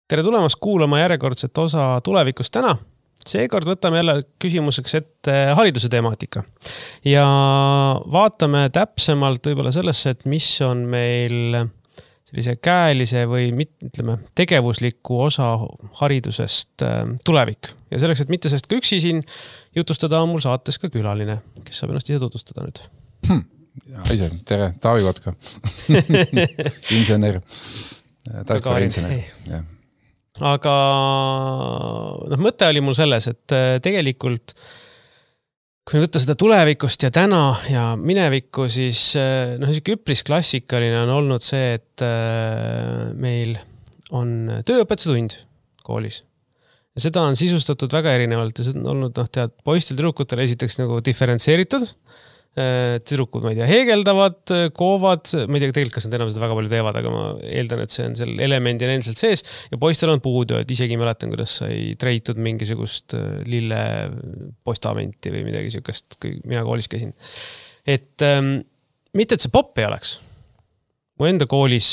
Tere tulemast kuulama järjekordset osa tulevikust täna. Seekord võtame jälle küsimuseks ette hariduse temaatika. Ja vaatame täpsemalt võib-olla sellesse, et mis on meil sellise käelise või ütleme, tegevusliku osa haridusest tulevik. Ja selleks, et mitte sellest ka üksi siin jutustada, on mul saates ka külaline, kes saab ennast ise tutvustada nüüd. Ise, tere, Taavi Kotka. Insener. Tarkvara insener. Jah. Aga mõte oli mul selles, et tegelikult kui võtta seda tulevikust ja täna ja minevikku, siis üpris klassikaline on olnud see, et meil on tööõpetuse tund koolis. Ja seda on sisustatud väga erinevalt ja see on olnud, poistel tüdrukutel esiteks nagu diferentseeritud. Tüdrukud, ma ei tea, heegeldavad, koovad, ma ei tea, tegelikult kas nad enam seda väga palju teevad, aga ma eeldan, et see on seal elemendil endiselt sees ja poistel on puudu, et isegi mäletan, kuidas sai treitud mingisugust lille postamenti või midagi siukest, kui mina koolis käisin. Et mitte, et see popp ei oleks. Mu enda koolis,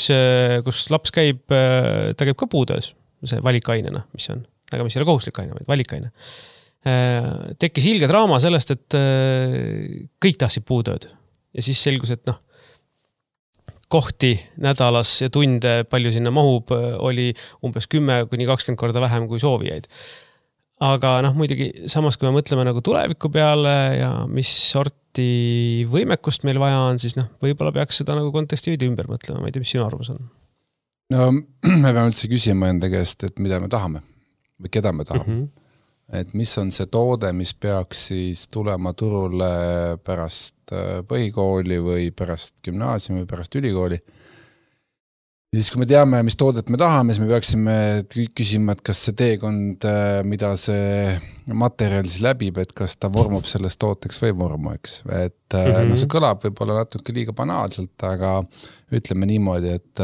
kus laps käib, ta käib ka puudues, see valikainena, mis on, aga mis ei ole kohuslik aine, vaid valikaine. Tekkis ilge draama sellest, et kõik tahtsid puutööd. Ja siis selgus, et kohti nädalas ja tunde palju sinna mahub oli umbes 10–20 korda vähem kui soovijaid. Aga muidugi samas, kui me mõtleme nagu tuleviku peale ja mis sorti võimekust meil vaja on, siis võib-olla peaks seda nagu konteksti veidi ümber mõtlema. Ma ei tea, mis sinu arvamus on? No, me peame üldse küsima enda käest, et mida me tahame või keda me tahame. Et mis on see toode, mis peaks siis tulema turule pärast põhikooli või pärast gümnaasiumi või pärast ülikooli. Ja siis kui me teame, mis toodet me tahame, siis me peaksime küsima, et kas see teekond, mida see materjal siis läbib, et kas ta vormub sellest tooteks või vormu, eks. Et see kõlab võib-olla natuke liiga banaalselt, aga ütleme niimoodi, et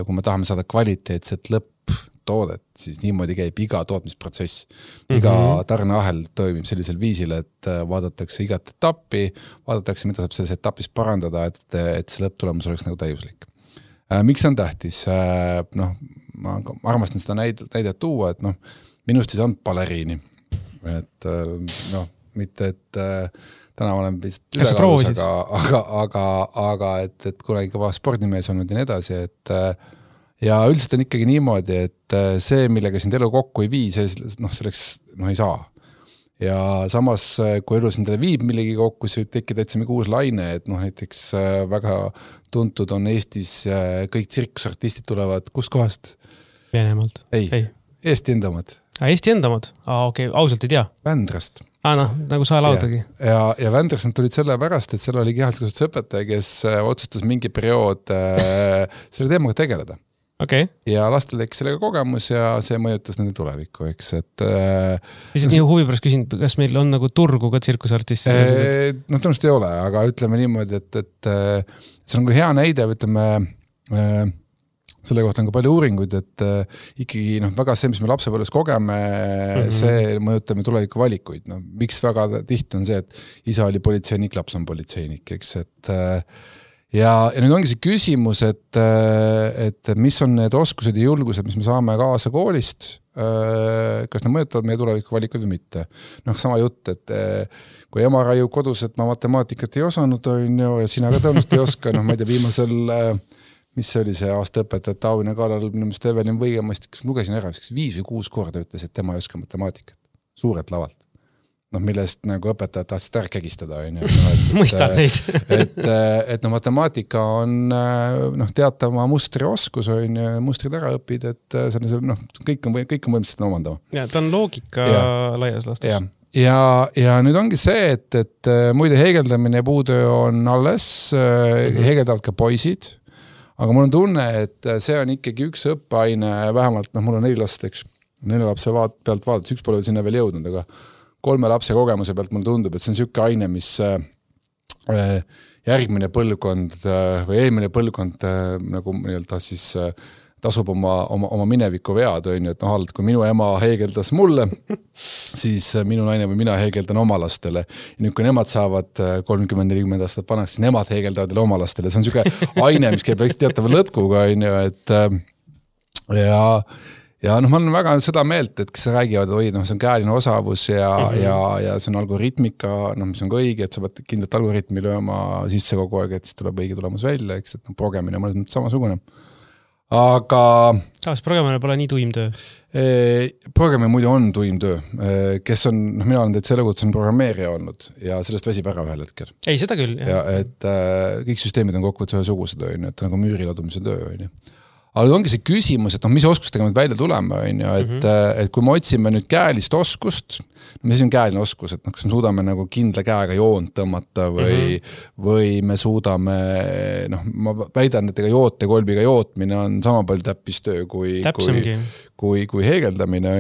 kui me tahame saada kvaliteetset lõpptoodet, siis niimoodi käib iga tootmisprotsess. Iga tarneahel toimib sellisel viisil, et vaadatakse igat etappi, vaadatakse, mida saab selles etapis parandada, et see lõpptulemus oleks nagu täiuslik. Miks on tähtis? Ma armastan seda näidet tuua, et minust ei saanud baleriini. Et mitte, et täna olen ülekaalus, aga et kunagi kõva spordimees olnud ja nii edasi, et ja üldiselt on ikkagi niimoodi, et see, millega sind elu kokku ei vii, selleks ei saa. Ja samas, kui elu sind viib millegi kokku, siis tekib täitsa mingi uus laine, et näiteks väga tuntud on Eestis kõik tsirkusartistid tulevad kust kohast? Venemaalt. Ei. Eesti endamad. Eesti endamad? Okei, ausalt ei tea. Vändrast. Nagu sa laudagi. Ja Vändrast nad tulid selle pärast, et seal oli kehalduskasutuse õpetaja, kes otsustas mingi periood selle teemaga tegeleda. Okay. Ja lastel tekkis sellega kogemus ja see mõjutas nende tulevikku, eks. Lihtsalt nii huvi pärast küsin, kas meil on nagu turgu ka tsirkusartistid? Tõenäoliselt ei ole, aga ütleme niimoodi, et see on nagu hea näide, ütleme, selle kohta on ka palju uuringuid, et ikkagi väga see, mis me lapsepõlves kogeme, see mõjutab me tuleviku valikuid. Miks väga tihti on see, et isa oli politseinik, laps on politseinik, eks, et ja nüüd ongi see küsimus, et mis on need oskused ja julgused, mis me saame kaasa koolist, kas need mõjutavad meie tuleviku valikuid või mitte. Sama jutt, et kui ema raiub kodus, et ma matemaatikat ei osanud, ja sina ka tõenäoliselt ei oska, ma ei tea, viimasel, mis oli see aasta õpetaja Taavina Kaalal, minu meelest Evelin Võigemast, kes lugesin ära, 5 või 6 korda ütles, et tema ei oska matemaatikat. Suurelt lavalt. Millest nagu õpetajad tahtsid ära kägistada. Mõistan neid. et matemaatika on teatama mustrioskus, mustrid ära õpid, et kõik on võimsad omandama. Ja, ta on loogika laias lastus. Ja nüüd ongi see, et muide heegeldamine ja puutöö on alles, heegeldavad ka poisid, aga mul on tunne, et see on ikkagi üks õppeaine, vähemalt mul on 4 last, eks, 4 lapse pealt vaadates, üks pole sinna veel jõudnud, aga 3 lapse kogemuse pealt mulle tundub, et see on selline aine, mis järgmine põlvkond või eelmine põlvkond nagu siis tasub oma mineviku vead, et kui minu ema heegeldas mulle, siis minu naine või mina heegeldan oma lastele. Ja nüüd, kui nemad saavad 30-40 aastat paneks, siis nemad heegeldavad oma lastele. See on selline aine, mis käib teatava lõtkuga, et ja noh, ma olen väga seda meelt, et kes räägivad, oi, noh, see on käeline osavus ja see on algoritmika, noh, mis on ka õige, et sa pead kindlalt algoritmi lööma sisse kogu aeg, et siis tuleb õige tulemus välja, eks, et noh, progemine mõnes mõttes samasugune. Aga... Saas progemine pole nii tuim töö? Progemine muidu on tuim töö, kes on, noh, mina olen teid selle kohta, on programmeerija olnud ja sellest väsib ära ühel hetkel. Ei, seda küll. Ja, et kõik süsteemid on kokkuvõttes ühesugused, et nagu müüri ladumise töö. Aga ongi see küsimus, et noh, mis oskustega me välja tuleme, et kui me otsime nüüd käelist oskust, mis on käeline oskus, et noh, kas me suudame nagu kindla käega joont tõmmata või me suudame, noh, ma väidan, et ega joote kolbiga jootmine on sama palju täppistöö kui heegeldamine,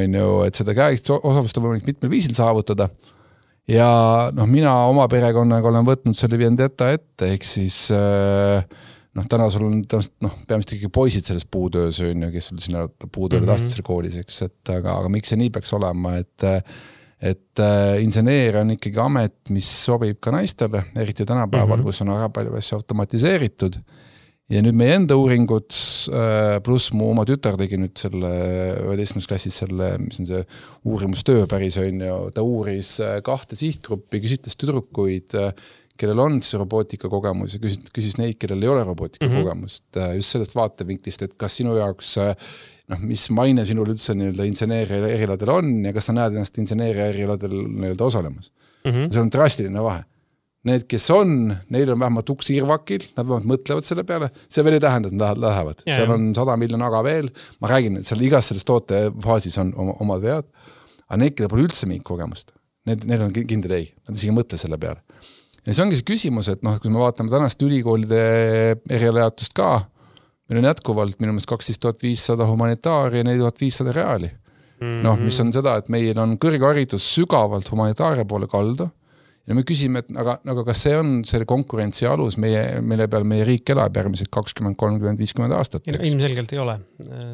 et seda käelist osavust on võimalik mitmel viisil saavutada. Ja noh, mina oma perekonnaga olen võtnud selle vendetta ette, ehk siis noh, täna sul on peamiselt ikkagi poisid selles puutöös, kes sul sinna puutööle tahtsid selle koolis, eks, aga miks see nii peaks olema, et inseneer on ikkagi amet, mis sobib ka naistele, eriti tänapäeval, kus on väga palju asju automatiseeritud. Ja nüüd meie enda uuringud, pluss mu oma tütar tegi nüüd selle 11. klassis selle, mis on see uurimustöö päris on ju, ta uuris 2 sihtgruppi, küsitles tüdrukuid, kellel on siis robootika kogemus ja küsis neid, kellel ei ole robootika kogemust. Just sellest vaatevinklist, et kas sinu jaoks, noh, mis maine sinul üldse inseneeria eriladel on ja kas sa näed ennast inseneeria eriladel osalemas. See on drastiline vahe. Need, kes on, neil on vähemalt uks irvakil, nad vähemalt mõtlevad selle peale, see veel ei tähenda, et nad lähevad. Seal on 100 miljon aga veel, ma räägin, et seal igas selles tootefaasis on omad vead, aga need, kellel pole üldse mingit kogemust, neil on kindel ei, nad isegi mõtle selle peale. Ja see ongi see küsimus, et noh, kui me vaatame tänast ülikoolide erialajatust ka, meil on jätkuvalt minu meelest 12500 humanitaari ja 4500 reaali. Noh, mis on seda, et meil on kõrgharidus sügavalt humanitaaria poole kaldu ja me küsime, et aga kas see on selle konkurentsi alus, mille peal meie riik elab järgmised 20, 30, 50 aastat? Ilmselgelt ei ole.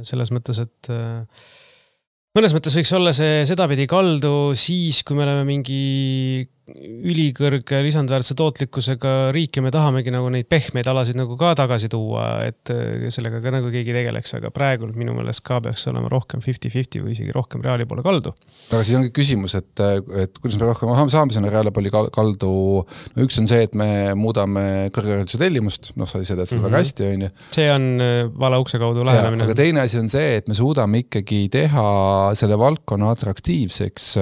Selles mõttes, et mõnes mõttes võiks olla see sedapidi kaldu siis, kui me oleme mingi ülikõrge lisandväärtuse tootlikkusega riik ja me tahamegi nagu neid pehmeid alasid nagu ka tagasi tuua, et sellega ka nagu keegi tegeleks, aga praegu minu meelest ka peaks olema rohkem 50-50 või isegi rohkem reaali poole kaldu. Aga siis ongi küsimus, et kuidas me rohkem saame sinna reaali poole kaldu, no üks on see, et me muudame kõrghariduse tellimust, noh, sa seda väga hästi, on ju. See on vala ukse kaudu lähenemine. Aga teine asi on see, et me suudame ikkagi teha selle valdkonna atraktiivseks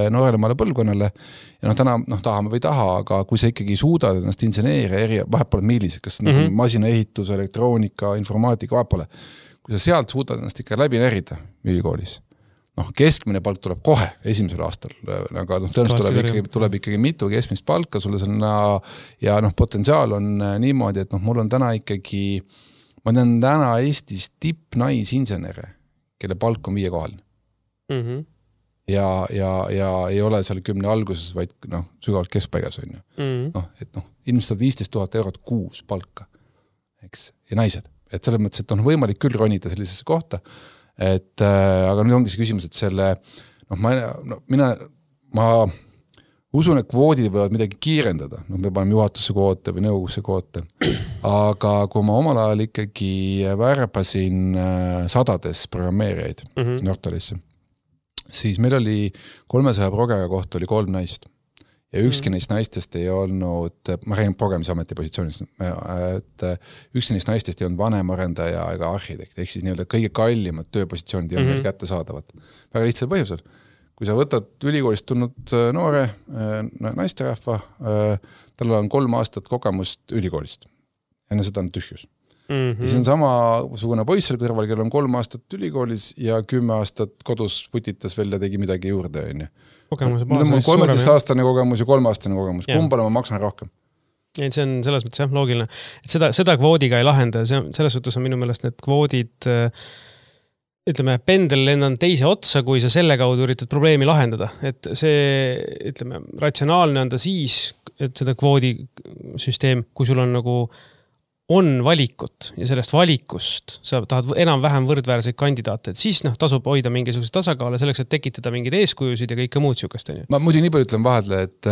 nooremale põlvkonnale. Ja noh, täna tahame või taha, aga kui sa ikkagi suudad ennast inseneeria vahet pole millised, kas masinaehitus, elektroonika, informaatika, vahet pole. Kui sa sealt suudad ennast ikka läbi närida ülikoolis, noh, keskmine palk tuleb kohe esimesel aastal, aga tõenäoliselt tuleb ikkagi mitu keskmist palka sulle selline, ja noh, potentsiaal on niimoodi, et noh, mul on täna ikkagi, ma tean täna Eestis tippnaisinsenere, kelle palk on 5 kohaline. Ja ei ole seal 10 alguses, vaid noh, sügavalt keskpaigas on ju. Noh, et noh, ilmselt 15 000 eurot kuus palka, eks, ja naised. Et selles mõttes, et on võimalik küll ronida sellisesse kohta, et aga nüüd ongi see küsimus, et selle, noh, ma usun, et kvoodid võivad midagi kiirendada, noh, me paneme juhatusse kvoote või nõukogusse kvoote, aga kui ma omal ajal ikkagi värbasin sadades programmeerijaid Nortalisse, siis meil oli 300 progega kohta oli 3 naist. Ja ükski neist naistest ei olnud, ma räägin programisameti positsioonist, et ükski neist naistest ei olnud vanemarendaja ega arhitekt, ehk siis nii-öelda kõige kallimad tööpositsioonid ei olnud neil kätte saadavat. Väga lihtsal põhjusel. Kui sa võtad ülikoolist tulnud noore naisterahva, tal on 3 aastat kogemust ülikoolist. Enne seda on tühjus. Ja see on samasugune poiss seal kõrval, kellel on 3 aastat ülikoolis ja 10 aastat kodus putitas veel ja tegi midagi juurde. Kogemuse baas on 13-aastane kogemus ja 3-aastane kogemus. Kumbale ma maksan rohkem? Ja see on selles mõttes jah, loogiline. Et seda kvoodiga ei lahenda. Selles suhtes on minu meelest need kvoodid, ütleme, pendel lennan teise otsa, kui sa selle kaudu üritad probleemi lahendada. Et see, ütleme, ratsionaalne on ta siis, et seda kvoodisüsteem, kui sul on nagu on valikut ja sellest valikust sa tahad enam-vähem võrdväärseid kandidaate, et siis tasub hoida mingisugused tasakaale selleks, et tekitada mingid eeskujusid ja kõike muud sükast. Ma muidu nii palju ütlen vahedle, et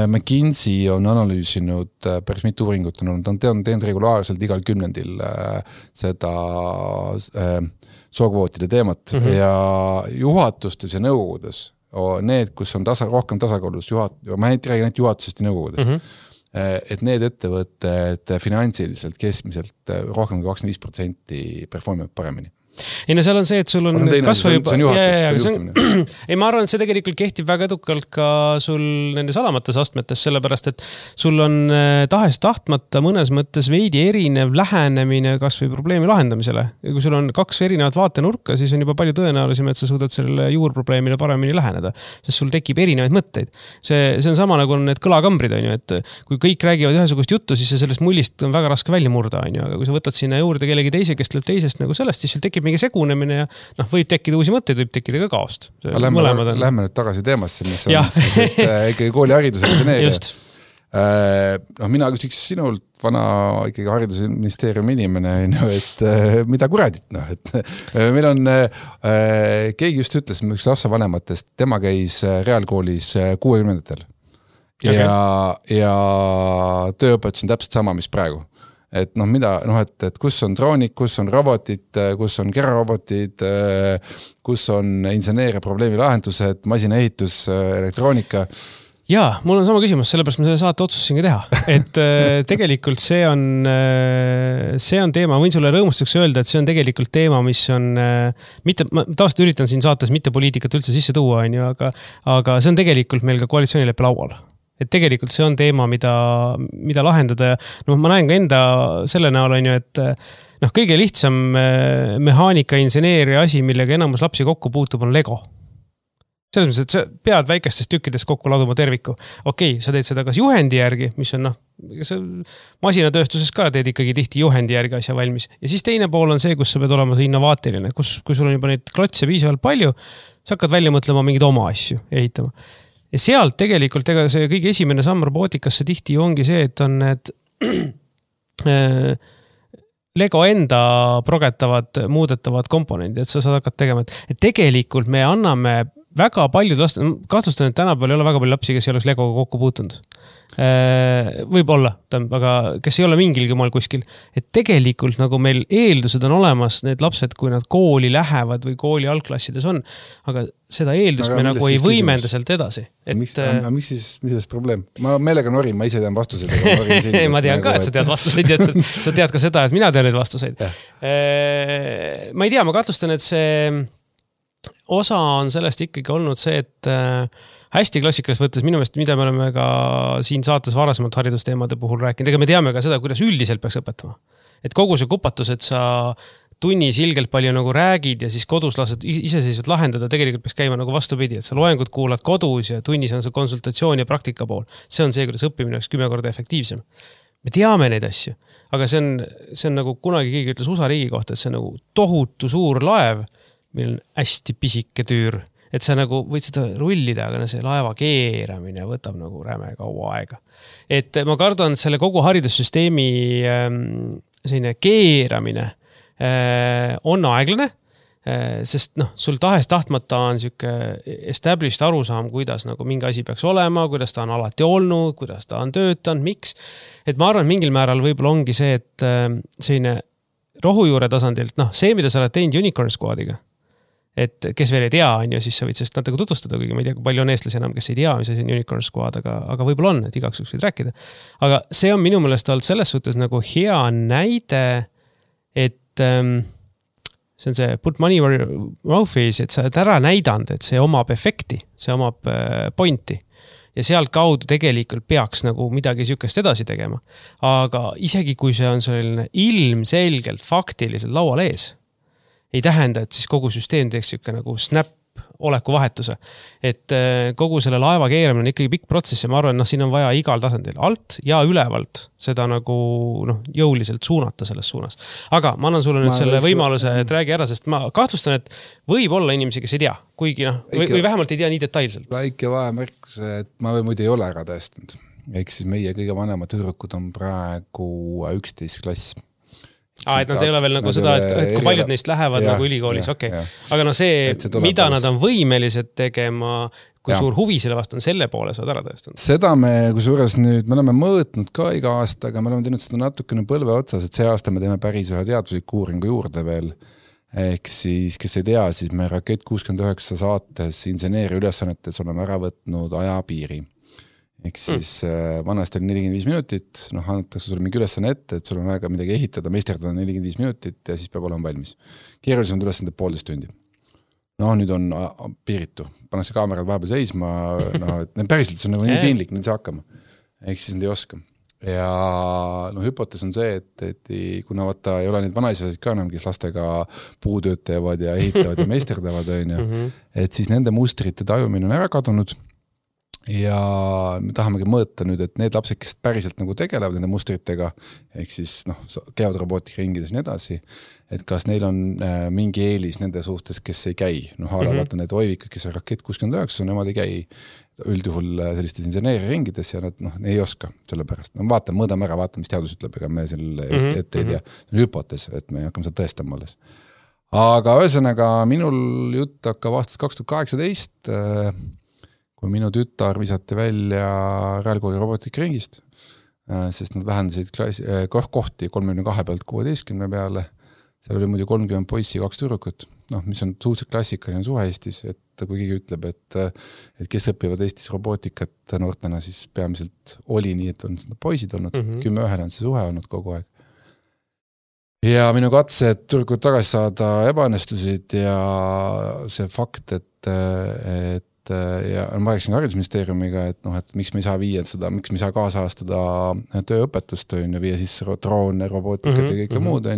McKinsey on analüüsinud päris mitu uuringut, on teinud regulaarselt igal 10. seda sookvootide teemat ja juhatustes ja nõukogudes, need, kus on rohkem tasakaalus, ma ei räägi ainult juhatusest ja nõukogudest, et need ettevõtted finantsiliselt keskmiselt rohkem kui 25% performivad paremini. Ei no seal on see, et sul on kasvõi juba... Ei, ma arvan, et see tegelikult kehtib väga edukalt ka sul nendes alamates astmetes, sellepärast, et sul on tahes tahtmata mõnes mõttes veidi erinev lähenemine kasvõi probleemi lahendamisele. Ja kui sul on 2 erinevat vaatenurka, siis on juba palju tõenäolisem, et sa suudad sellele juurprobleemile paremini läheneda, sest sul tekib erinevaid mõtteid. See on sama nagu on need kõlakambrid, on ju, et kui kõik räägivad ühesugust juttu, siis sellest mullist on väga raske välja murda, on ju, aga kui sa võtad sinna juurde kellegi teise, kes tuleb teisest nagu sellest, siis sul tekib mingi segunemine ja võib tekkida uusi mõtteid, võib tekkida ka kaost. Lähme nüüd tagasi teemasse, mis on siis, ikkagi koolihariduse inseneeria. Mina küsiks sinult vana ikkagi haridusministeeriumi inimene, et mida kuradit, et meil on, keegi just ütles, üks lapsevanematest, tema käis reaalkoolis 60-ndatel ja tööõpetus on täpselt sama, mis praegu. Et et kus on droonid, kus on robotid, kus on kerarobotid, kus on inseneeria probleemi lahendused, masinaehitus, elektroonika. Jaa, mul on sama küsimus, sellepärast ma selle saate otsustasin ka teha. Et tegelikult see on teema, võin sulle rõõmustuseks öelda, et see on tegelikult teema, mis on mitte, ma tavaliselt üritan siin saates mitte poliitikat üldse sisse tuua, aga see on tegelikult meil ka koalitsioonileppe laual. Et tegelikult see on teema, mida lahendada ja ma näen ka enda selle näol on ju, et kõige lihtsam mehaanika inseneeria asi, millega enamus lapsi kokku puutub, on Lego. Selles mõttes, et sa pead väikestest tükkidest kokku laduma terviku. Okei, sa teed seda kas juhendi järgi, mis on masinatööstuses ka teed ikkagi tihti juhendi järgi asja valmis. Ja siis teine pool on see, kus sa pead olema see innovaatiline, kui sul on juba neid klotse piisavalt palju, sa hakkad välja mõtlema mingeid oma asju ehitama. Ja sealt tegelikult see kõige esimene samm robootikasse tihti ongi see, et on need Lego enda progetavad, muudetavad komponendid, et sa saad hakata tegema. Et tegelikult me anname väga paljud last, kahtlustan, et tänapäeval ei ole väga palju lapsi, kes ei oleks Legoga kokku puutunud. Võib-olla, aga kes ei ole mingilgi maal kuskil. Et tegelikult nagu meil eeldused on olemas, need lapsed, kui nad kooli lähevad või kooli algklassides on, aga seda eeldust me nagu ei võimenda sealt edasi. Miks siis probleem? Ma meelega norin, ma ise tean vastuseid. Ei, ma tean ka, et sa tead vastuseid ja sa tead ka seda, et mina tean neid vastuseid. Ma ei tea, ma kahtlustan, et see osa on sellest ikkagi olnud see, et hästi klassikalist võttes minu meelest, mida me oleme ka siin saates varasemalt haridusteemade puhul rääkinud, ega me teame ka seda, kuidas üldiselt peaks õpetama. Et kogu see kupatus, et sa tunnis ilgelt palju nagu räägid ja siis kodus lased iseseisvalt lahendada, tegelikult peaks käima nagu vastupidi, et sa loengud kuulad kodus ja tunnis on see konsultatsioon ja praktika pool. See on see, kuidas õppimine oleks 10 korda efektiivsem. Me teame neid asju, aga see on nagu kunagi keegi ütles USA riigi kohta, et see on nagu tohutu suur laev, meil on hästi pisike tüür, et sa nagu võid seda rullida, aga see laeva keeramine võtab nagu räme kaua aega. Et ma kardan, et selle kogu haridussüsteemi selline keeramine on aeglane, sest sul tahes tahtmata on siuke established arusaam, kuidas nagu mingi asi peaks olema, kuidas ta on alati olnud, kuidas ta on töötanud, miks. Et ma arvan, mingil määral võib-olla ongi see, et selline rohujuure tasandilt, see, mida sa oled teinud Unicorn Squadiga, et kes veel ei tea, siis sa võid sellest natuke tutvustada, kuigi ma ei tea, kui palju on eestlasi enam, kes ei tea, mis asi on Unicorn Squad, aga võib-olla on, et igaks võid rääkida. Aga see on minu meelest olnud selles suhtes nagu hea näide, et see on see put money where your mouth is, et sa oled ära näidanud, et see omab efekti, see omab pointi. Ja sealt kaudu tegelikult peaks nagu midagi sükest edasi tegema. Aga isegi kui see on selline ilmselgelt faktiliselt laual ees, ei tähenda, et siis kogu süsteem teeks siuke nagu snap oleku vahetuse. Et kogu selle laeva keeramine on ikkagi pikk protsess ja ma arvan, siin on vaja igal tasandil alt ja ülevalt seda nagu jõuliselt suunata selles suunas. Aga ma annan sulle nüüd selle võimaluse, et räägi ära, sest ma kahtlustan, et võib olla inimesi, kes ei tea, kuigi või vähemalt ei tea nii detailselt. Väike vahemärkus, et ma muidu ei ole ära tõestanud. Ehk siis meie kõige vanemad tüdrukud on praegu 11 klass. Et nad ei ole veel nagu seda, et kui paljud neist lähevad nagu ülikoolis, okei. Aga see, mida nad on võimelised tegema, kui suur huvi selle vastu on, selle poole saad ära tõestanud. Seda me kusjuures nüüd, me oleme mõõtnud ka iga aasta, aga me oleme teinud seda natukene põlve otsas, et see aasta me teeme päris ühe teadusliku uuringu juurde veel, ehk siis, kes ei tea, siis me Rakett 69 saates inseneeri ülesannetes oleme ära võtnud ajapiiri. Ehk siis vanasti oli 45 minutit, annetakse sulle mingi ülesanne ette, et sul on aega midagi ehitada, meisterdada 45 minutit ja siis peab olema valmis. Keerulisemad ülesanded 1,5 tundi. Nüüd on piiritu, pannakse kaamerad vahepeal seisma, et päriselt see on nagu nii piinlik, nüüd see hakkama. Ehk siis nad ei oska. Ja hüpotees on see, et kuna vaata ei ole neid vanaisasid ka enam, kes lastega puutööd teevad ja ehitavad ja meisterdavad, et siis nende mustrite tajumine on ära kadunud. Ja me tahamegi mõõta nüüd, et need lapsed, kes päriselt nagu tegelevad nende mustritega, ehk siis käivad robootika ringides ja nii edasi, et kas neil on mingi eelis nende suhtes, kes ei käi. Vaata need oivikud, kes on Rakett 69, nemad ei käi üldjuhul sellistes inseneeri ringides ja nad ei oska selle pärast. Mõõdame ära, vaatame, mis teadus ütleb, ega me selle ette ei tea. See on hüpotees, et me hakkame seda tõestama alles. Aga ühesõnaga, minul jutt hakkab aastast 2018, kui minu tütar visati välja Räälkooli robootikaringist, sest nad vähendasid kohti 32 pealt 16 peale. Seal oli muidu 30 poissi, 2 tüdrukut, mis on suhteliselt klassikaline suhe Eestis, et kui keegi ütleb, et kes õpivad Eestis robootikat noortena, siis peamiselt oli nii, et on seda poisid olnud, 10-1 on see suhe olnud kogu aeg. Ja minu katsed tüdrukut tagasi saada ebaõnnestusid ja see fakt, ja ma rääkisin haridusministeeriumiga, et miks me ei saa viia seda, miks me ei saa kaasahastada tööõpetust, viia sisse droone, robootikat ja kõike muud.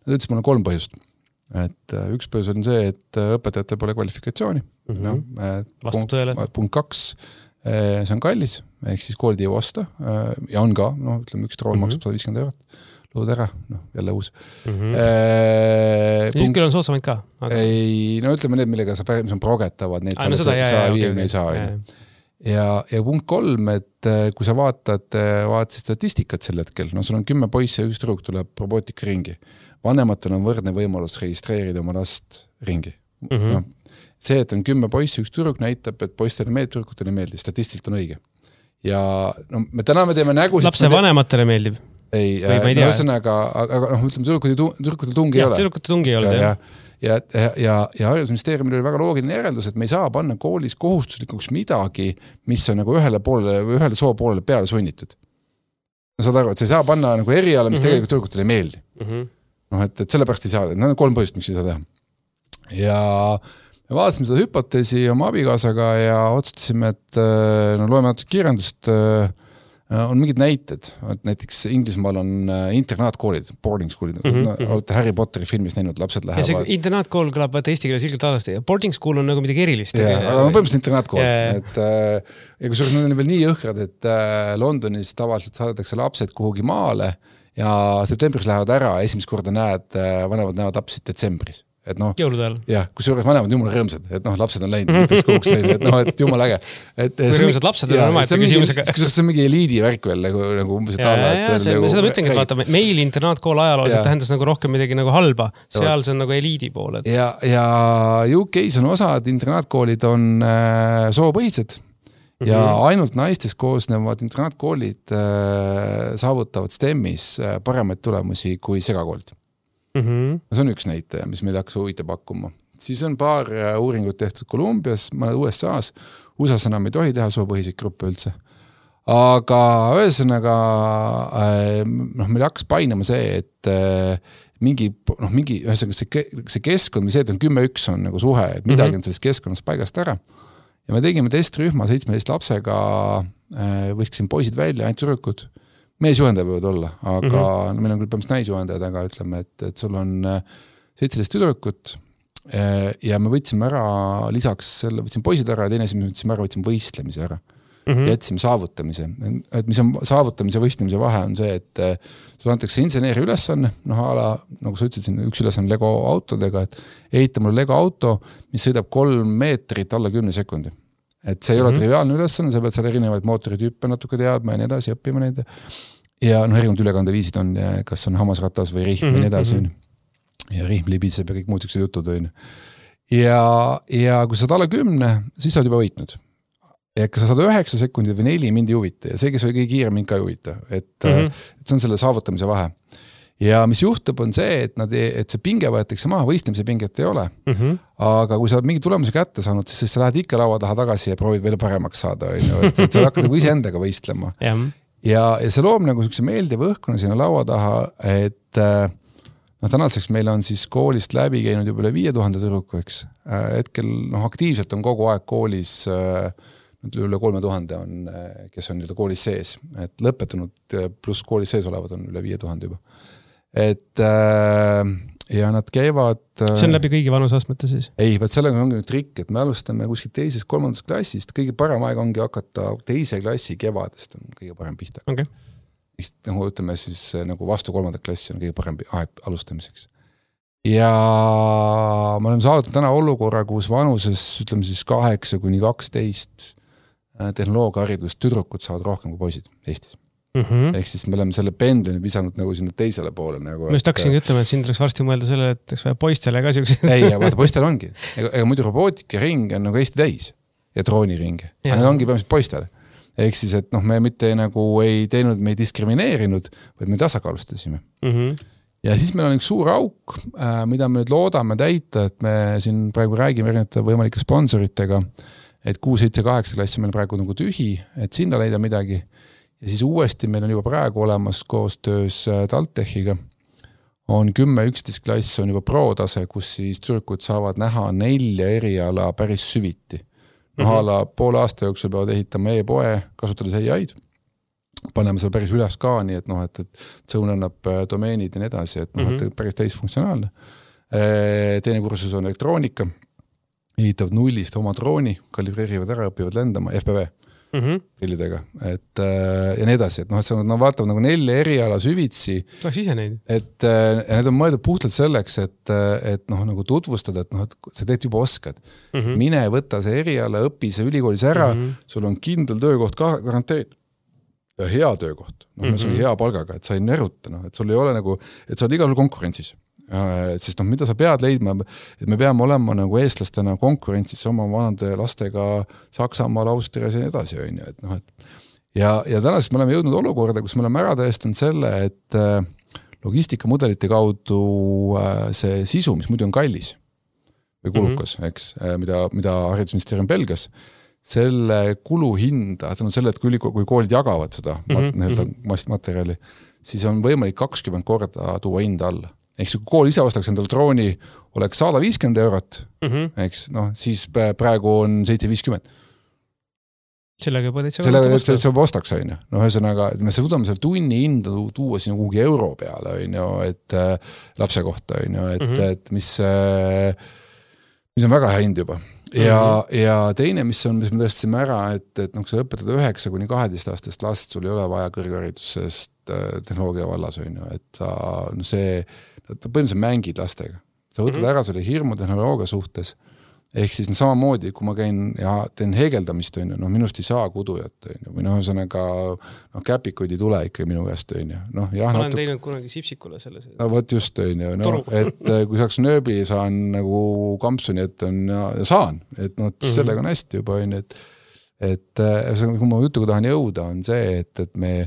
Nad ütlesid, mul on 3 põhjust. Et üks põhjus on see, et õpetajatel pole kvalifikatsiooni. Vastab tõele. Punkt 2, see on kallis, ehk siis koolid ei osta ja on ka, ütleme, üks droon maksab 150 €. Lood ära, jälle uus. Nüüd küll on soodsamaid ka. Aga... Ei, ütleme need, millega mis on progetavad, neid 150 ei saa. Ja punkt 3, et kui sa vaatad statistikat sel hetkel, sul on 10 poisse ja üks tüdruk tuleb robootika ringi. Vanematel on võrdne võimalus registreerida oma last ringi. See, et on 10 poisse ja üks tüdruk näitab, et poistele meeldib, tüdrukutele meeldib, statistiliselt on õige. Ja täna me teeme nägu... Lapse vanematele meeldib. Ei, ühesõnaga, aga ütleme, tüdrukutel tungi ei ole. Tüdrukutel tungi ei ole, ja haridusministeeriumil oli väga loogiline järeldus, et me ei saa panna koolis kohustuslikuks midagi, mis on nagu ühele soo poolele peale sunnitud. Saad aru, et sa ei saa panna nagu eriala, mis tegelikult tüdrukutel ei meeldi. Et sellepärast ei saa, need on 3 põhjust, miks ei saa teha. Ja me vaatasime seda hüpoteesi oma abikaasaga ja otsustasime, et loeme natuke kirjandust, on mingid näited, et näiteks Inglismaal on internaatkoolid, boarding schoolid, olete Harry Potteri filmis näinud, lapsed lähevad... Ja see internaatkool kõlab eesti keeles ilgelt alasti. Boarding school on nagu midagi erilist. Aga põhimõtteliselt internaatkool. Ja kui need on veel nii õhkrad, et Londonis tavaliselt saadetakse lapsed kuhugi maale ja septembris lähevad ära, esimest korda vanemad näevad lapsid detsembris. Jõulude ajal. Jah, kus juures vanemad jumala rõõmsad, et lapsed on läinud, et jumala äge. Kui rõõmsad lapsed on omaette küsimusega. See on mingi eliidi värk veel, nagu umbes seda ma ütlengi, et vaata, meil internaatkool ajalooliselt tähendas nagu rohkem midagi nagu halba, seal see on nagu eliidi pool. Ja UK-s on osad internaatkoolid on soopõhised ja ainult naistest koosnevad internaatkoolid saavutavad STEM-is paremaid tulemusi kui segakoolid. See on üks näitaja, mis meil hakkas huvita pakkuma. Siis on paar uuringut tehtud Kolumbias, mõned USA-s. USA-s enam ei tohi teha soopõhiseid gruppe üldse. Aga ühesõnaga meil hakkas painama see, et mingi see keskkond, see, et on 10-1 on nagu suhe, et midagi on sellest keskkonnast paigast ära. Ja me tegime testrühma 17 lapsega, võiksin poisid välja, ainult tüdrukud. Meesjuhendajad võivad olla, aga meil on küll põhimõtteliselt naisjuhendajad, aga ütleme, et sul on 17 tüdrukut ja me võtsime ära, lisaks selle võtsime poisid ära ja teine asi, me võtsime võistlemise ära. Jätsime saavutamise. Et mis on saavutamise ja võistlemise vahe on see, et sul antakse inseneeri ülesanne, nagu sa ütlesid, üks ülesanne Lego autodega, et ehita mulle Lego auto, mis sõidab 3 meetrit alla 10 sekundi. Et see ei ole triviaalne ülesanne, sa pead seal erinevaid mootoritüüpe natuke teadma ja nii edasi, õppima neid. Ja erinevad ülekandeviisid on, kas on hammasratas või rihm ja nii edasi. Ja rihm libiseb ja kõik muud siuksed jutud. Ja kui sa saad alla 10, siis sa oled juba võitnud. Ja kas sa saad 9 sekundit või 4, mind ei huvita. Ja see, kes oli kõige kiire, mind ka ei huvita. Et see on selle saavutamise vahe. ja mis juhtub, on see, et see pinge võetakse maha, võistlemise pinget ei ole. Aga kui sa oled mingi tulemuse kätte saanud, siis sa lähed ikka laua taha tagasi ja proovid veel paremaks saada, et sa hakkad nagu iseendaga võistlema. Ja see loob nagu meeldiva õhkuna sinna laua taha, et tänaseks meil on siis koolist läbi käinud juba üle 5000 tüdruku, eks. Hetkel aktiivselt on kogu aeg koolis üle 3000 on, kes on koolis sees, et lõpetanud pluss koolis sees olevad on üle 5000 juba. Et ja nad käivad... See on läbi kõigi vanusastmete siis? Ei, vaat sellega ongi nüüd trikk, et me alustame kuskil teisest, kolmandast klassist, kõige parem aeg ongi hakata teise klassi kevadest on kõige parem pihta. Okay. Nagu ütleme siis nagu vastu kolmandat klassi on kõige parem aeg alustamiseks. Ja me oleme saadud täna olukorra, kus vanuses, ütleme siis 8-12 tehnoloogiaharidust tüdrukud saavad rohkem kui poisid Eestis. Ehk siis me oleme selle pendli visanud nagu sinna teisele poole. Nagu, ma just hakkasingi ütlema, et siin tuleks varsti mõelda selle, et poistele ka siuksed. Ei, ja vaata poistel ongi. Ega muidu robootikaring on nagu Eesti täis ja drooniring. Aga need ongi põhimõtteliselt poistele. Ehk siis, et me mitte nagu ei teinud, me ei diskrimineerinud, vaid me tasakaalustasime. Ja siis meil on üks suur auk, mida me nüüd loodame täita, et me siin praegu räägime erinevate võimalike sponsoritega, et 6-7-8 klassi meil praegu nagu tühi, et sinna leida midagi. Ja siis uuesti meil on juba praegu olemas koostöös TalTechiga. On 10-11 klass on juba pro-tase, kus siis tüdrukud saavad näha 4 eriala päris süviti. Ala poole aasta jooksul peavad ehitama e-poe, kasutades AI-d. Paneme seal päris üles ka, nii et Zone annab domeenid ja nii edasi, et päris täisfunktsionaalne. Teine kursus on elektroonika. Ehitavad nullist oma drooni, kalibreerivad ära, õpivad lendama, FPV prillidega. Ja nii edasi, et nad vaatavad nagu 4 eriala süvitsi. Läks ise neid. Et need on mõeldud puhtalt selleks, et nagu tutvustada, et sa teed juba oskad. Mine võtta see eriala, õpi see ülikoolis ära, sul on kindel töökoht ka garanteeritud. Ja hea töökoht. Sul on hea palgaga, et sa ei nöruta, et sul ei ole nagu, et sa oled igal konkurentsis. Sest mida sa pead leidma, et me peame olema nagu eestlastena konkurentsis oma vanade lastega Saksamaal, Austrias ja nii edasi. Ja tänasest me oleme jõudnud olukorda, kus me oleme ära tõestanud selle, et logistikamudelite kaudu see sisu, mis muidu on kallis või kulukas, eks, mida haridusministeerium pelgas, selle kuluhinda, selle, et kui koolid jagavad seda materjali, siis on võimalik 20 korda tuua hinda alla. Eks kui kool ise ostaks endale drooni, oleks 150 eurot, eks, siis praegu on 750. Sellega juba täitsa ostaks, ühesõnaga, et me suudame selle tunni hinda tuua sinna kuhugi euro peale, et lapse kohta, et mis on väga hea hind juba. Ja teine, mis me tõestasime ära, et kui sa õpetad 9-12 aastast last, sul ei ole vaja kõrgharidusest tehnoloogia vallas, et see põhimõtteliselt mängid lastega. Sa võtad ära selle hirmu tehnoloogia suhtes, ehk siis samamoodi, kui ma käin ja teen heegeldamist, minust ei saa kudujat, või ühesõnaga käpikuid ei tule ikka minu käest. Ma olen teinud kunagi sipsikule selles. Võt just, et kui saaks nööbi saan nagu kampsuni, et saan, et sellega on hästi juba, et kui ma jutuga tahan jõuda, on see, et meil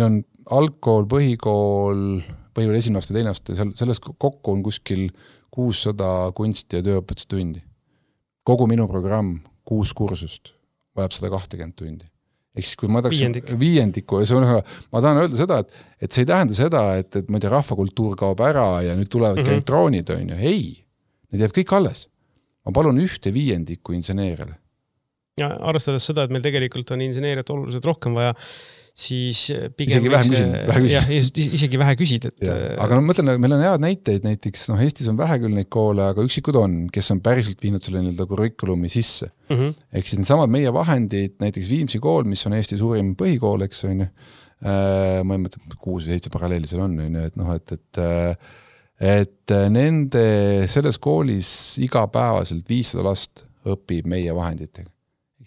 on algkool, põhikool esimene aasta, teine aasta, selles kokku on kuskil 600 kunsti ja tööõpetustundi. Kogu minu programm, 6 kursust, vajab 120 tundi. Ehk siis, kui ma tahaks viiendiku, ma tahan öelda seda, et see ei tähenda seda, et ma ei tea, rahvakultuur kaob ära ja nüüd tulevad ka elektroonid, ei, need jääb kõik alles. Ma palun 1/5 inseneerile. Ja arvestades seda, et meil tegelikult on inseneeriat oluliselt rohkem vaja, siis pigem isegi vähe küsid. Aga mõtlen, meil on head näiteid, näiteks Eestis on vähe küll neid koole, aga üksikud on, kes on päriselt viinud selle kurikulumi sisse. Ehk siis need samad meie vahendid, näiteks Viimsi kool, mis on Eesti suurim põhikool, eks on, ma ei mõtle, 6 või 7 paralleeli seal on, et nende selles koolis igapäevaselt 500 last õpib meie vahenditega.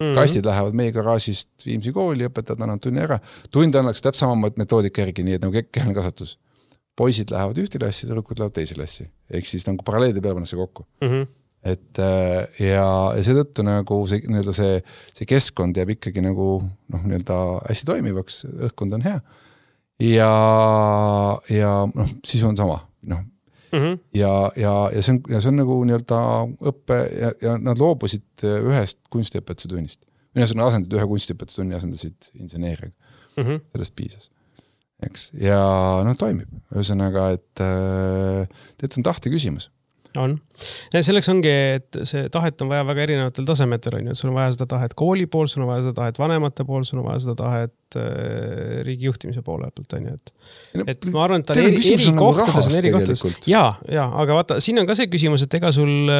Kastid lähevad meie garaažist Viimsi kooli, õpetajad annavad tunni ära. Tund annaks täpselt sama metoodika järgi, nii et nagu kehaline kasvatus. Poisid lähevad ühte klassi, tüdrukud lähevad teise klassi. Ehk siis nagu paralleelide peale pannakse kokku. Et, ja seetõttu nagu see keskkond jääb ikkagi nagu hästi toimivaks, õhkkond on hea. ja noh, sisu on sama, noh. Ja see on nagu nii-öelda õppe ja nad loobusid ühest kunstiõpetuse tunnist. Mina asendid ühe kunstiõpetuse tunni, asendasid inseneeriaga. Sellest piisas. Eks? Ja noh, toimib. Ühesõnaga, et on tahte küsimus. On. Ja selleks ongi, et see tahet on vaja väga erinevatel tasemetel. On ju. Sul on vaja seda tahet kooli pool, sul on vaja seda tahet vanemate pool, sul on vaja seda tahet riigi juhtimise poole pealt. On ju. Et ma arvan, et ta on eri kohtades on eri kohtades. Ja, aga vaata, siin on ka see küsimus, et ega sul,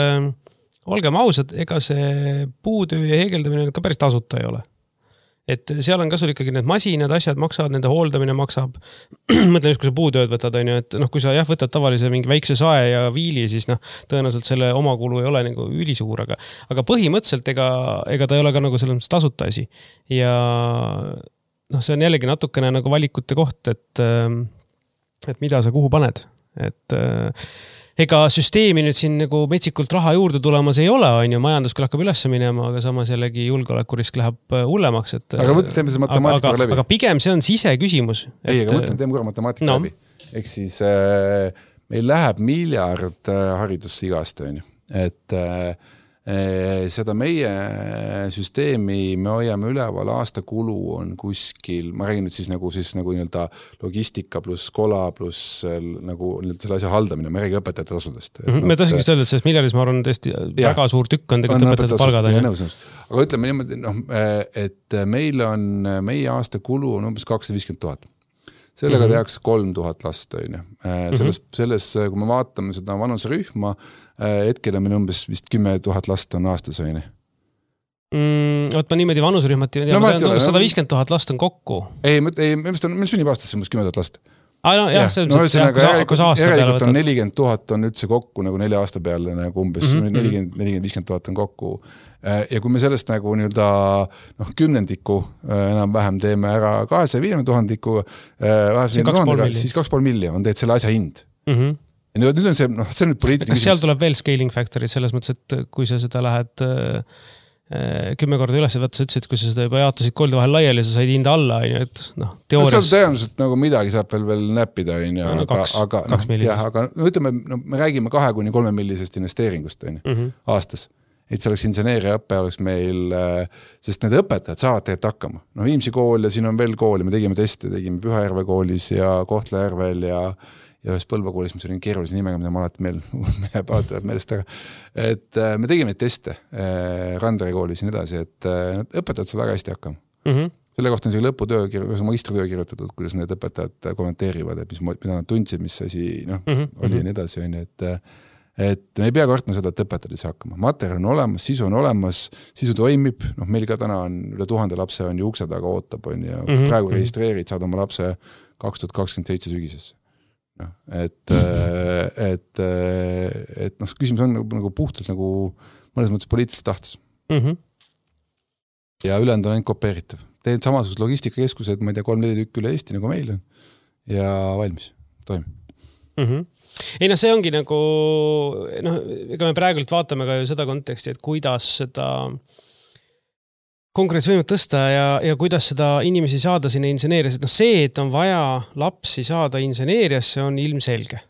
olgem ausad, ega see puutöö ja heegeldamine ka päris tasuta ei ole. Et seal on ka sul ikkagi need masinad, asjad maksavad, nende hooldamine maksab. Mõtlen just, kui sa puutööd võtad, on ju, et noh, kui sa võtad tavalise mingi väikse sae ja viili, siis noh, tõenäoliselt selle omakulu ei ole nagu ülisuur, aga põhimõtteliselt ega ta ei ole ka nagu selles mõttes tasuta asi. Ja noh, see on jällegi natukene nagu valikute koht, et mida sa kuhu paned. Et ega süsteemi nüüd siin nagu metsikult raha juurde tulemas ei ole, on ju, majandus küll hakkab üles minema, aga samas jällegi julgeolekurisk läheb hullemaks. Aga teeme see matemaatika läbi. Aga pigem see on siseküsimus. Ei, aga teeme korra matemaatika läbi. Ehk siis meil läheb miljard haridusse igast, on ju. Et seda meie süsteemi me hoiame üleval, aasta kulu on kuskil, ma räägin nüüd siis nagu nii-öelda logistika pluss kola pluss nagu selle asja haldamine, ma räägin õpetajate tasudest. Me tahtsingi öelda, et sellest miljardis ma arvan tõesti väga suur tükk on tegelikult õpetajate palgad. Aga ütleme niimoodi, et meil on meie aasta kulu on umbes 250 000. Sellega tehakse 3000 last. Selles, kui me vaatame seda vanusrühma, hetkel on meil umbes vist 10 000 last on aastas. Võt ma niimoodi vanusrühmat 150 000 last on kokku. Ei, meil sünnib aastasse umbes 10 000 last. Järelikult on 40 000 on üldse kokku nagu 4 aasta peale nagu umbes 40-50 000 on kokku ja kui me sellest nagu nii-öelda kümnendiku enam-vähem teeme ära 250 000 siis 2,5 miljonit on teed selle asja hind ja nüüd on see on nüüd poliitiline kas seal tuleb veel scaling factory selles mõttes, et kui sa seda lähed 10 korda üles, sa ütlesid, kui sa seda juba jaotasid koolide vahel laiali, sa said hinda alla, et teoorias... Seal tõenäoliselt nagu midagi saab veel näppida, aga ütleme, me räägime 2-3 millisest investeeringust aastas. Et see oleks inseneeriaõppe, oleks meil, sest need õpetajad saavad tegelikult hakkama. Viimsi kool ja siin on veel kooli, me tegime teste, tegime Pühajärve koolis ja Kohtla-Järvel ja ühes Põlva koolis, mis oli keerulise nimega, mida ma alati meelest ära. Et me tegime teste Randere koolis ja nii edasi, et õpetajad saavad väga hästi hakkama. Selle kohta on lõputöö, magistritöö kirjutatud, kuidas need õpetajad kommenteerivad, et mida nad tundsid, mis asi oli ja nii edasi. Et me ei pea kartma seda, et õpetajad ei saa hakkama. Materjal on olemas, sisu on olemas, sisu toimib. Meil ka täna on üle 1000 lapse on ju ukse taga ootab ja praegu registreerid, saad oma lapse 2027 sügisesse. Et küsimus on nagu puhtalt nagu mõnes mõttes poliitilises tahtes. Ja ülejäänud on ainult kopeeritav. Teed samasugused logistikakeskused, ma ei tea, 3-4 tükk üle Eesti nagu meil on ja valmis, toimib. Ei, see ongi nagu, ega me praegult vaatame ka ju seda konteksti, et kuidas seda konkurentsivõimet tõsta ja kuidas seda inimesi saada sinna inseneerias. Et see, et on vaja lapsi saada inseneerias, see on ilmselge.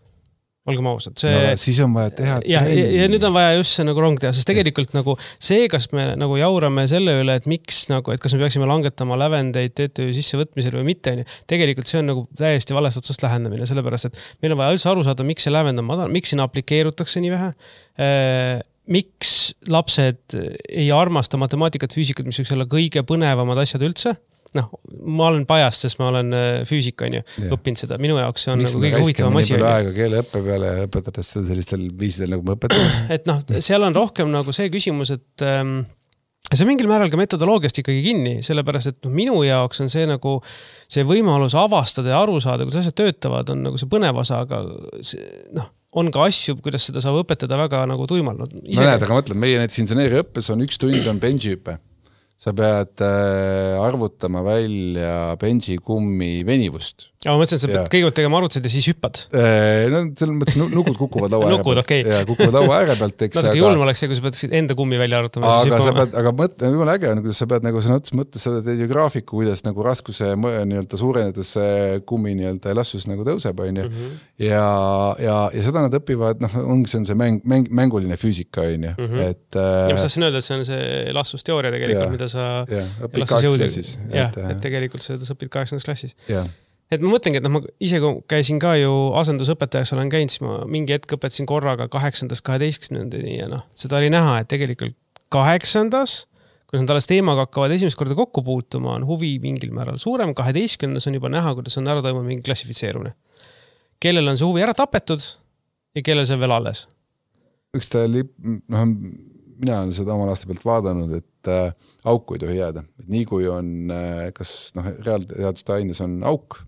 Olgem ausad. Siis on vaja teha. Ja nüüd on vaja just see nagu rong teha, sest tegelikult nagu see, kas me nagu jaurame selle üle, et miks nagu, et kas me peaksime langetama lävendeid TTÜ sissevõtmisel või mitte, tegelikult see on nagu täiesti valest otsast lähendamine, sellepärast, et meil on vaja üldse aru saada, miks see lävend on madal, miks sinna aplikeerutakse nii vähe, miks lapsed ei armasta matemaatikat, füüsikat, mis võiks olla kõige põnevamad asjad üldse. Ma olen pajast, sest ma olen füüsika, õppinud seda. Minu jaoks see on nagu kõige huvitavam asi. Miks me aega keele õppe peale õpetades seda sellistel viisidel nagu me õpetame? Et seal on rohkem nagu see küsimus, et see mingil määral ka metodoloogiast ikkagi kinni, sellepärast, et minu jaoks on see nagu see võimalus avastada ja aru saada, kuidas asjad töötavad, on nagu see põnev osa, aga on ka asju, kuidas seda saab õpetada väga nagu tuimal. Näed, aga mõtlen, meie näiteks inseneeri õppes on 1 tund on benji hüpe. sa pead arvutama välja benžikummi venivust. Ma mõtlesin, et sa pead kõigepealt tegema arvutused ja siis hüppad. No selles mõttes nukud kukuvad laua ääre pealt. Okay. Ja kukuvad laua ääre pealt. Natuke julm oleks see, kui sa pead enda kummi välja arvutama. Aga mõtle, jumala äge on, kuidas sa pead nagu sõna mõttes, sa teed ju graafiku, kuidas nagu raskuse suurenedes kummi elastsus nagu tõuseb. Ja seda nad õpivad, ongi see on see mänguline füüsika. Ja ma tahtsin öelda, et see on see elastsusteooria tegelikult, mida sa klassis. Et tegelikult seda sa õpid 8. klassis. Et ma mõtlengi, et ma ise käisin ka ju asendusõpetajaks olen käinud, siis ma mingi hetk õpetasin korraga 8.–12. ja seda oli näha, et tegelikult 8. kui nad alles teemaga hakkavad esimest korda kokku puutuma, on huvi mingil määral suurem, 12. on juba näha, kuidas on ära toimub mingi klassifitseerumine. Kellel on see huvi ära tapetud ja kellel see veel alles? Üks mina olen seda omal aasta pealt vaadanud, et auku ei tohi jääda. Et nii kui on, kas reaalteaduste aines on auk,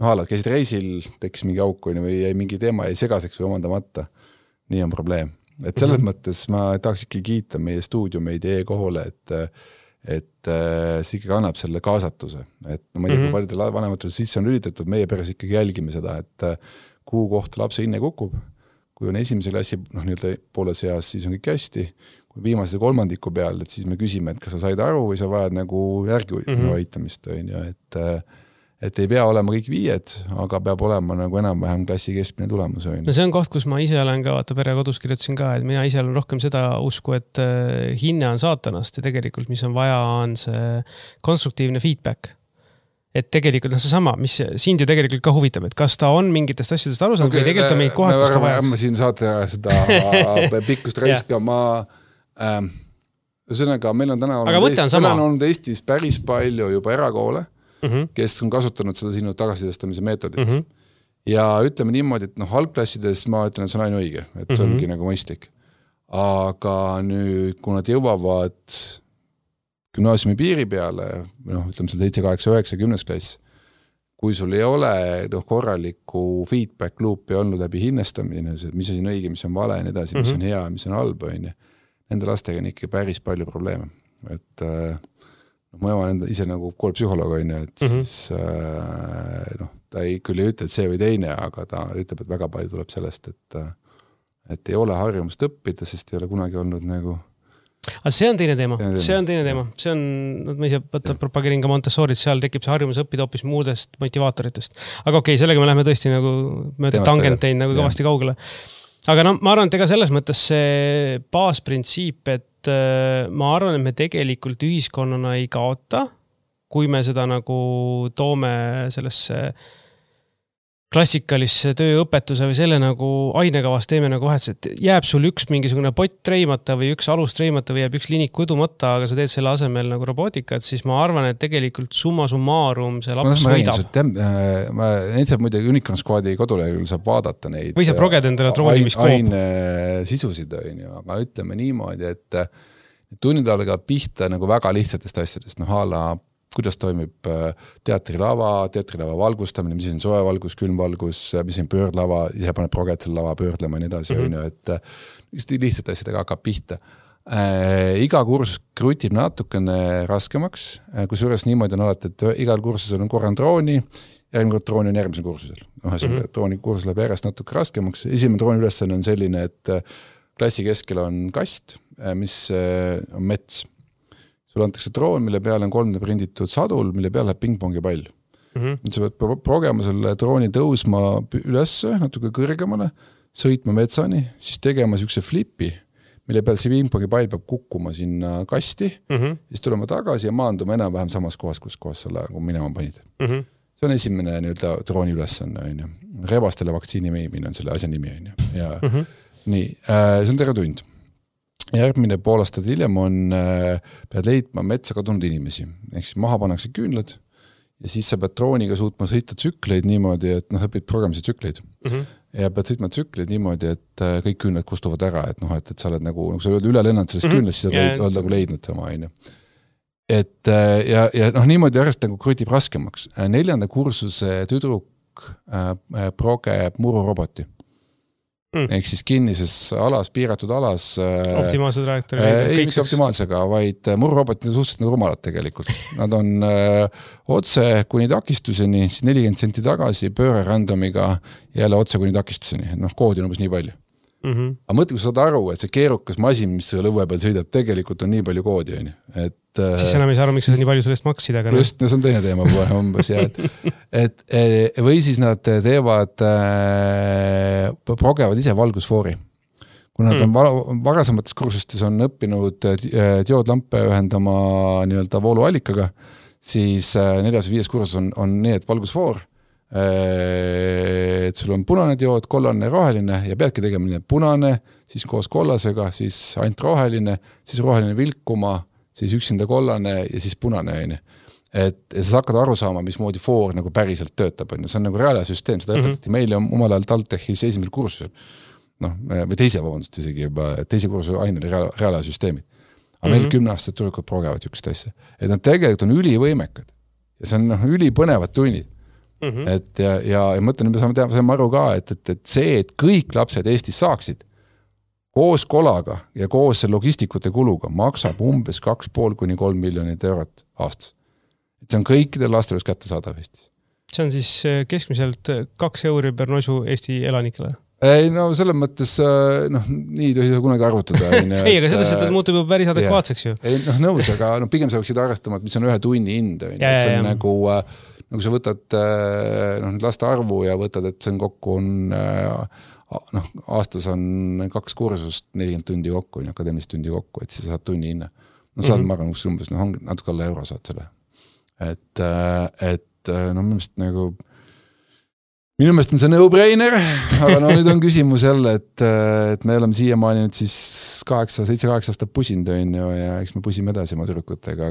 käisid reisil, tekkis mingi auk või jäi mingi teema, jäi segaseks või omandamata. Nii on probleem. Et selles mõttes ma tahaks ikka kiita meie stuudiumeid e-kohole, et see ikkagi annab selle kaasatuse. Et ma ei tea, kui paljudel vanematel sisse on lülitatud, meie peres ikkagi jälgime seda, et kuhu kohta lapse hinne kukub. Kui on esimese klassi poole seas, siis on kõik hästi. Kui viimase kolmandiku peal, et siis me küsime, et kas sa said aru või sa vajad nagu järgi aitamist. Et ei pea olema kõik 5, aga peab olema nagu enam-vähem klassi keskmine tulemus. No see on koht, kus ma ise olen ka, vaata pere kodus kirjutasin ka, et mina ise olen rohkem seda usku, et hinne on saatanast ja tegelikult mis on vaja, on see konstruktiivne feedback. Et tegelikult see sama, mis sind ju tegelikult ka huvitab, et kas ta on mingitest asjadest aru saanud või tegelikult on mingid kohad, kus ta vajaks. Ma siin saate seda pikkust raiska, ühesõnaga, meil on täna olnud Eestis päris palju juba erakoole, kes on kasutanud seda sinu tagasisidestamise meetodit. Ja ütleme niimoodi, et algklassides ma ütlen, et see on ainuõige, et see ongi nagu mõistlik. Aga nüüd, kui nad jõuavad gümnaasiumi piiri peale, ütleme 7, 8, 9, 10 klass, kui sul ei ole korralikku feedback loopi olnud läbi hinnestamine, mis on õige, mis on vale, nii edasi, mis on hea, mis on halb, nende lastega on ikka päris palju probleeme. Et ma olen ise nagu koolipsühholoog, et siis ta ei küll ei ütle, et see või teine, aga ta ütleb, et väga palju tuleb sellest, et ei ole harjumust õppida, sest ei ole kunagi olnud nagu Aga see on teine teema. See on, ma ise propageerin ka Montessorit, seal tekib see harjumus õppida hoopis muudest motivaatoritest. Aga okei, sellega me läheme tõesti nagu mööda tangentein nagu kõvasti kaugele. Aga ma arvan, et ega selles mõttes see baasprintsiip, et ma arvan, et me tegelikult ühiskonnana ei kaota, kui me seda nagu toome sellesse klassikalisse tööõpetuse või selle nagu ainekavas teeme nagu vahetus, et jääb sul üks mingisugune pott treimata või üks alus treimata või jääb üks linik udumata, aga sa teed selle asemel nagu robootikat, siis ma arvan, et tegelikult summa summarum see laps võidab. Ma saab muide Unicorn Squadi koduleheküljel saab vaadata neid või saab progeda endale trollimiskoop. Aine sisusid, aga ütleme niimoodi, et tunnid algavad pihta nagu väga lihtsatest asjadest, kuidas toimib teatrilava valgustamine, mis on soe valgus, külmvalgus, mis on pöördlava, ise paneb proget selle lava pöördlema ja nii edasi, et lihtsalt asjadega hakkab pihta. Iga kursus krutib natukene raskemaks, kus juures niimoodi on alati, et igal kursusel on korran drooni, järgmine kord drooni on järgmisel kursusel. Drooni kursus läheb järjest natuke raskemaks. Esimene drooni ülesanne on selline, et klassi keskel on kast, mis on mets. Sul antakse droon, mille peale on 3D prinditud sadul, mille peale läheb pingpongi pall. Sa pead progema selle drooni tõusma üles, natuke kõrgemale, sõitma metsani, siis tegema sükse flipi, mille peale see pingpongi pall peab kukkuma sinna kasti, siis tulema tagasi ja maanduma enam-vähem samas kohas, kus kohas selle minema panid. See on esimene drooni ülesanne. Rebastele vaktsiini meimine on selle asja nimi. Nii, see on terve tund. Järgmine pool aastat hiljem pead leidma metsa kadunud inimesi. Ehk siis maha pannakse küünlad ja siis sa pead drooniga suutma sõita tsükleid niimoodi, et õpid programmise tsükleid. Ja pead sõitma tsükleid niimoodi, et kõik küünlad kustuvad ära, et sa oled nagu sa oled üle lennanud sellest küünlast, siis oled nagu leidnud tema. Et ja niimoodi järjest nagu krutib raskemaks. 4. kursuse tüdruk progeb mururoboti. ehk siis kinnises alas, piiratud alas. Optimaalse trajektoori. Ei mitte optimaalsega, vaid mururobotid on suhteliselt rumalad tegelikult. Nad on otse kuni takistuseni, siis 40 senti tagasi, pööre randomiga jälle otse kuni takistuseni. Koodi on umbes nii palju. Aga mõtle, kui sa saad aru, et see keerukas masin, mis selle õue peal sõidab, tegelikult on nii palju koodi. Siis enam ei saa aru, miks sa nii palju sellest maksid. Aga just, see on teine teema umbes. Või siis nad teevad, progevad ise valgusfoori. Kui nad on varasemates kursustes on õppinud dioodlampe ühendama nii-öelda vooluallikaga, siis 4. või 5. kursus on nii, et valgusfoor, et sul on punane diood, kollane ja roheline ja peadki tegema punane, siis koos kollasega, siis ainult roheline, siis roheline vilkuma, siis üksinda kollane ja siis punane. Et sa hakkad aru saama, mismoodi foor nagu päriselt töötab. See on nagu reaalsüsteem, seda õpetati meile omal ajal TalTechis esimesel kursusel. Või teise isegi juba, teise kursuse aine oli reaalsüsteemid. Aga meil 10 aastat turukad progevad jükst asja. Et nad tegelikult on ülivõimekad. Ja see on ülipõnevad tunnid. Et ja mõtlen, me saame aru ka, et see, et kõik lapsed Eestis saaksid koos kolaga ja koos logistikute kuluga maksab umbes 2,5 kuni 3 miljonit eurot aastas. Et see on kõikidel lastel kätte saadav Eestis. See on siis keskmiselt 2 euri per nosu Eesti elanikele? Ei, selles mõttes, nii tohi kunagi arvutada. Ei, aga seda muutub juba päris adekvaatseks ju. Ei, nõus, aga pigem sa võiksid arvestama, et mis on 1 tunni hind. See on nagu sa võtad laste arvu ja võtad, et see on kokku aastas on 2 kursust 40 tundi kokku, akadeemilist tundi kokku, et siis saad tunni hinna. Saad ma arvan, umbes natuke alla euro saad selle. Et minu meelest on see no-brainer, aga nüüd on küsimus jälle, et me oleme siiamaani nüüd siis 7-8 aastat pusinud ja eks me pusime edasi oma tüdrukutega,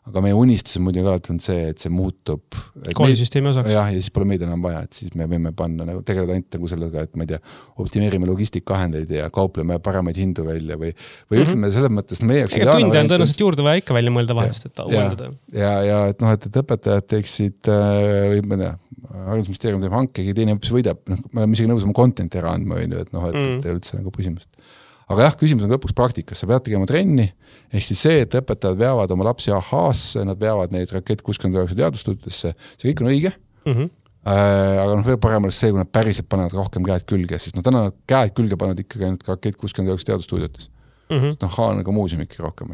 aga meie unistus on muidugi alati on see, et see muutub koolisüsteemi osaks. Ja siis pole meid enam vaja, et siis me võime panna tegeleda ainult sellega, et ma ei tea, optimeerime logistikahendeid ja kaupleme paremaid hindu välja või ütleme selles mõttes, meie jaoks tunde on tõenäoliselt juurde vaja ikka välja mõelda vahest, et uuendada. Ja et õpetajad teeksid või ma tea, haridusministeerium teeb hankegi, teine õppis võidab, me oleme isegi nõus oma contenti ära andma, et üldse nagu püsimust. Aga jah, küsimus on lõpuks praktikas, sa pead tegema trenni, ehk siis see, et õpetajad veavad oma lapsi AH-sse, nad veavad neid Rakett 69 teadustudesse, see kõik on õige, aga veel parem oleks see, kui nad päriselt panevad rohkem käed külge, sest täna käed külge panevad ikkagi ainult Rakett 69 teadustuudiotes. On nagu muuseumikki rohkem.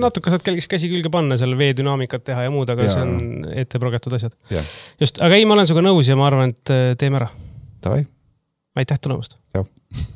Natuke saad käsi külge panna, seal veedünaamikat teha ja muud, aga see on ette progetud asjad. Just, aga ei, ma olen suga nõus ja ma arvan, et teeme ära. Davai. Aitäh tulemast. Jah.